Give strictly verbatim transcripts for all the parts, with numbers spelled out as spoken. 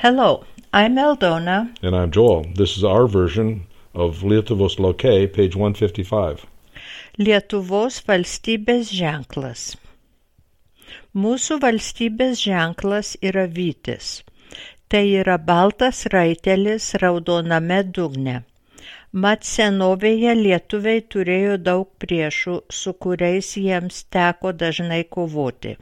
Hello, I'm Eldona. And I'm Joel. This is our version of Lietuvos Loke, page one fifty-five. Lietuvos valstybės ženklas. Mūsų valstybės ženklas yra vytis. Tai yra baltas raitelis raudoname dugne. Mat senovėje lietuviai turėjo daug priešų, su kuriais jiems teko dažnai kovoti.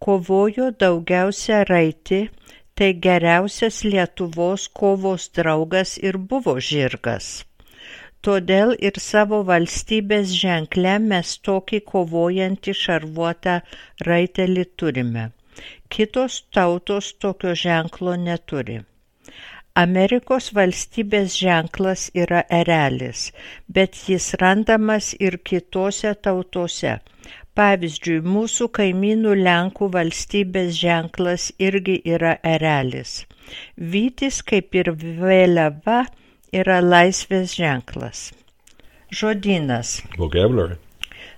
Kovojo daugiausia raiti, tai geriausias Lietuvos kovos draugas ir buvo žirgas. Todėl ir savo valstybės ženkle mes tokį kovojantį šarvuotą raitelį turime. Kitos tautos tokio ženklo neturi. Amerikos valstybės ženklas yra erelis, bet jis randamas ir kitose tautose. Pavyzdžiui, mūsų kaimynų Lenkų valstybės ženklas irgi yra erelis. Vytis, kaip ir vėliava, yra laisvės ženklas. Žodynas. Vocabulary.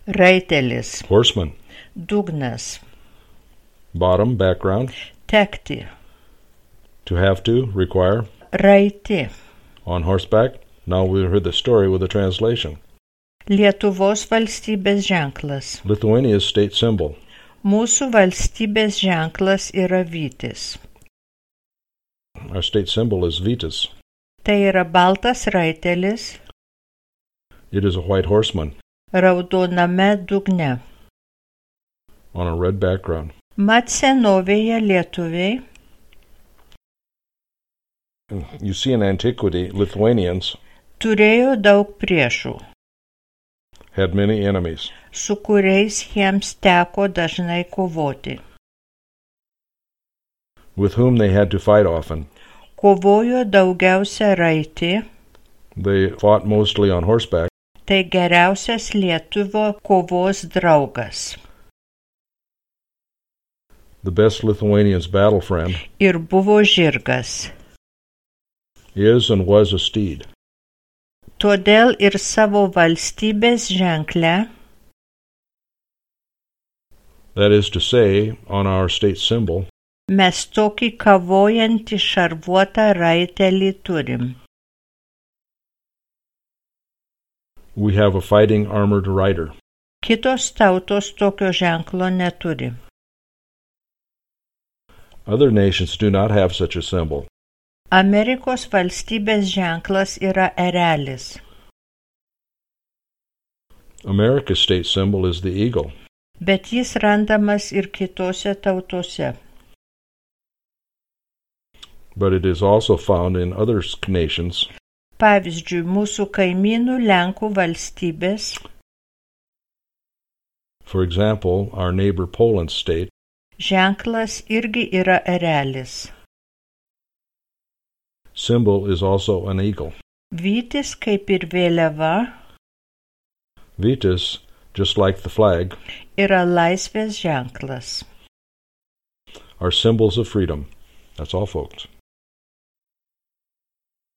Raitelis. Horseman. Dugnas. Bottom, background. Tekti. To have to, require. Raiti. On horseback. Now we heard the story with a translation. Lietuvos valstybės ženklas. Lithuania's state symbol. Mūsų valstybės ženklas yra vytis. Our state symbol is Vytis. Tai yra baltas raitelis. It is a white horseman. Raudoname dugne. On a red background. Mat senovėje lietuviai. You see in antiquity, Lithuanians Turėjo daug priešų, had many enemies. su kuriais jiems teko dažnai kovoti. With whom they had to fight often. Kovojo daugiausia raiti, They fought mostly on horseback. tai geriausias lietuvio kovos draugas. The best Lithuanian's battle friend Ir buvo žirgas. is and was a steed. Todėl ir savo valstybės ženkle, That is to say, on our state symbol, mes tokį kavojantį šarvuotą raitelį turim. we have a fighting armored rider. Kitos tautos tokio ženklo neturi. Other nations do not have such a symbol. Amerikos valstybės ženklas yra erelis. America's state symbol is the eagle. Bet jis randamas ir kitose tautose. But it is also found in other nations. Pavyzdžiui, mūsų kaimynų Lenkų valstybės, For example, our neighbor Poland's state ženklas irgi yra erelis. symbol is also an eagle. Vytis, kaip ir vėliava, Vytis, just like the flag, yra laisvės ženklas. are symbols of freedom. That's all, folks.